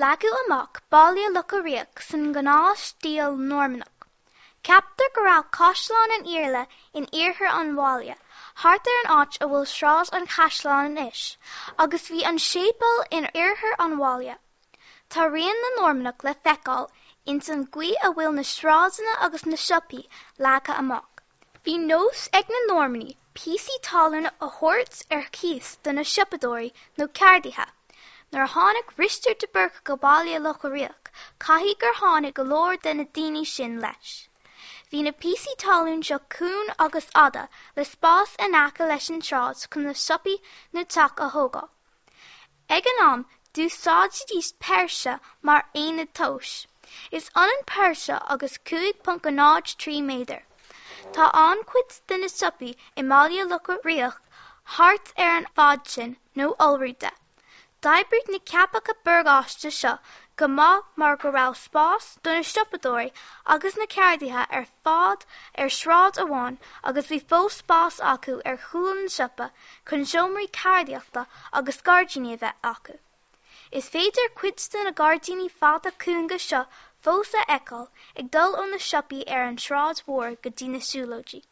Leagadh amach Baile Locha Riach san ngnáthstíl Normannach. Ceaptar go raibh Caisleán an Iarla in iarthar an bhaile, thart ar an áit a bhfuil Sráid an Chaisleáin anois, agus bhí an séipéal in oirthear an bhaile. Tá rian na Normannach le feiceáil ins an gcaoi a bhfuil na sráideanna agus na siopaí leagtha amach. Bhí nós ag na Normannaigh píosaí talún a thabhairt ar cíos do na siopadóirí nó ceardaithe. Nuair a tháinig Risteard de Búrca go Baile Locha Riach, caithfidh gur tháinig go leor de na daoine sin leis. Bhí na píosaí talún seo cúng agus fhada le spás in aice leis an tsráid chun na siopaí nó teach a thógáil. Ag an am, d'úsáididís péirse mar aonad tomhais. Is ionann péirse agus 5.03 méadar. Tá an-chuid de na siopaí i mBaile Locha Riach thart ar an bhfad sin nó iolrú de. D'oibrigh na ceapacha morgáiste seo go maith mar go raibh spás do na siopadóirí agus na ceardaithe ar fad ar shráid amháin agus bhí fós spás acu ar chúl an tsiopa chun seomraí ceardaíochta agus gairdíní a bheith acu. Is féidir cuid de na gairdíní fada cúnga seo fós a fheiceáil ag dul ó na siopaí ar an tSráid Mhór go dtí na siúlóidí.